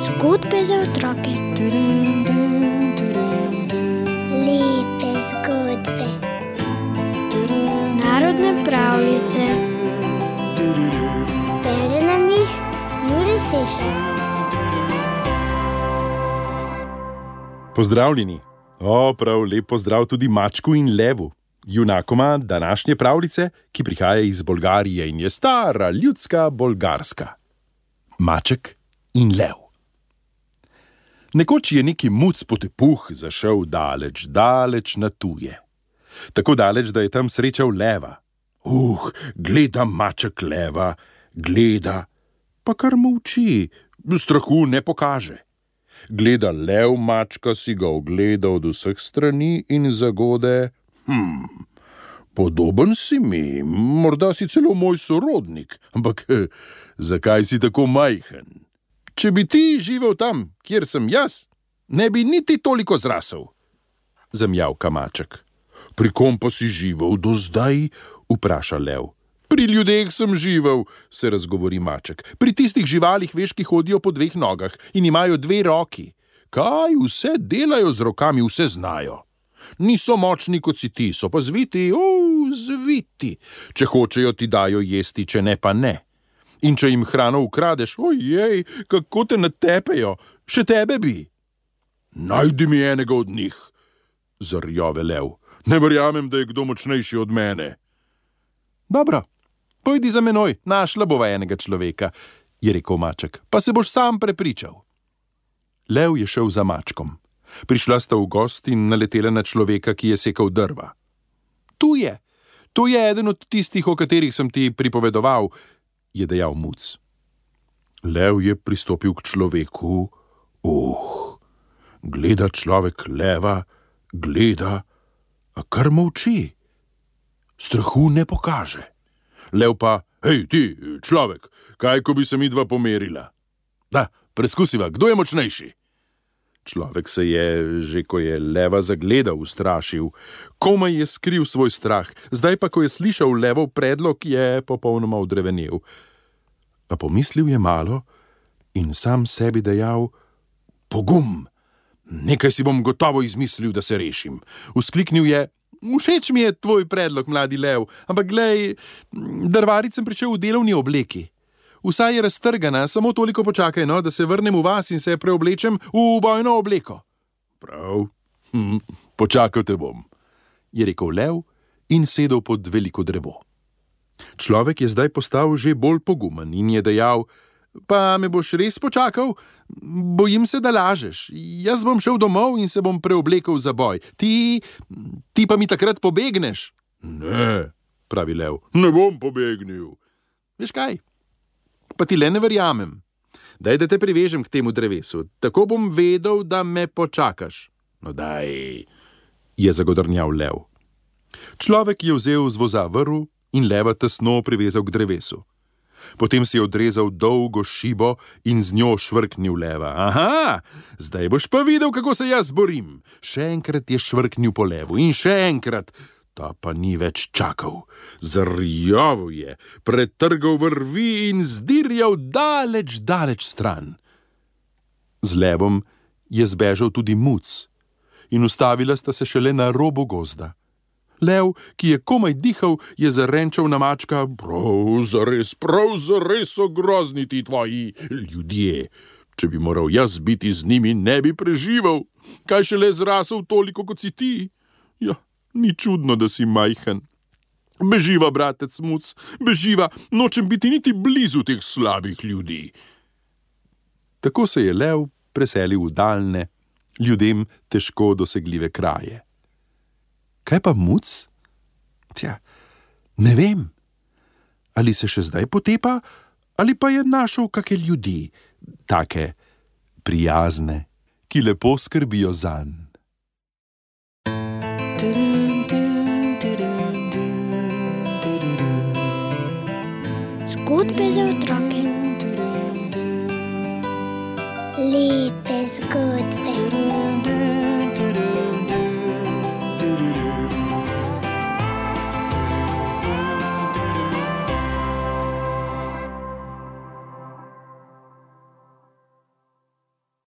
Zgodbe za otroke. Lepe zgodbe. Narodne pravljice. Bere nam jih Jure Sešar. Pozdravljeni. Prav lep pozdrav tudi mačku in levu, junakoma današnje pravljice, ki prihaja iz Bolgarije in je stara ljudska bolgarska. Maček in lev. Nekoč je neki muc potepuh zašel daleč, daleč na tuje. Tako daleč, da je tam srečal leva. Gleda maček leva, gleda, pa kar molči, strahu ne pokaže. Gleda lev mačka, si ga ogleda od vseh strani in zagode, podoben si mi, morda si celo moj sorodnik, ampak zakaj si tako majhen? Če bi ti živel tam, kjer sem jaz, ne bi niti toliko zrasel. Zamjavka maček. Pri kom pa si živel do zdaj? Vpraša lev. Pri ljudeh sem živel, se razgovori maček. Pri tistih živalih, veš, ki hodijo po dveh nogah in imajo dve roki. Kaj vse delajo z rokami, vse znajo. Niso močni kot si ti, so pa zviti, zviti. Če hočejo, ti dajo jesti, če ne, pa ne. In če jim hrano ukradeš, ojej, kako te natepejo, še tebe bi. Najdi mi enega od njih, zarjove lev. Ne verjamem, da je kdo močnejši od mene. Dobro, pojdi za menoj, našla bova enega človeka, je rekel maček, pa se boš sam prepričal. Lev je šel za mačkom. Prišla sta v gost in naletela na človeka, ki je sekal drva. Tu je eden od tistih, o katerih sem ti pripovedoval, je dejal muc. Lev je pristopil k človeku. Gleda človek leva, gleda, a kar molči. Strahu ne pokaže. Lev pa, hej ti, človek, kaj ko bi se midva pomerila? Da, preskusiva, kdo je močnejši? Človek se je, že ko je leva zagledal, ustrašil. Komaj je skril svoj strah, zdaj pa, ko je slišal levov predlog, je popolnoma odrevenel. A pomislil je malo in sam sebi dejal, pogum, nekaj si bom gotovo izmislil, da se rešim. Vzkliknil je, všeč mi je tvoj predlog, mladi lev, ampak glej, drvarit sem pričel v delovni obleki. Vsa je raztrgana, samo toliko počakaj, no, da se vrnem v vas in se preoblečem v bojno obleko. Prav, počakal te bom, je rekel lev in sedel pod veliko drevo. Človek je zdaj postal že bolj pogumen in je dejal, pa me boš res počakal? Bojim se, da lažeš. Jaz bom šel domov in se bom preoblekel za boj. Ti pa mi takrat pobegneš. Ne, pravi lev, ne bom pobegnil. Veš kaj? Pa ti le ne verjamem. Daj, da te privežem k temu drevesu. Tako bom vedel, da me počakaš. No daj, je zagodrnjal lev. Človek je vzel z voza vrv in leva tesno privezal k drevesu. Potem si je odrezal dolgo šibo in z njo švrknil leva. Aha, zdaj boš pa videl, kako se jaz borim. Še enkrat je švrknil po levu in še enkrat. Ta pa ni več čakal. Zarjoval je, pretrgal vrvi in zdirjal daleč, daleč stran. Z levom je zbežal tudi muc in ustavila sta se šele na robu gozda. Lev, ki je komaj dihal, je zarenčal na mačka. Prav zares so grozni ti tvoji ljudje. Če bi moral jaz biti z njimi, ne bi preživel. Kaj šele zrasel toliko, kot si ti? Ja, ni čudno, da si majhen. Beživa, bratec muc, beživa, nočem biti niti blizu teh slabih ljudi. Tako se je lev preselil v daljne, ljudem težko dosegljive kraje. Kaj pa muc? Ne vem. Ali se še zdaj potepa, ali pa je našel kake ljudi, take prijazne, ki lepo skrbijo zanj. Zgodbe za otroke. Lepe zgodbe.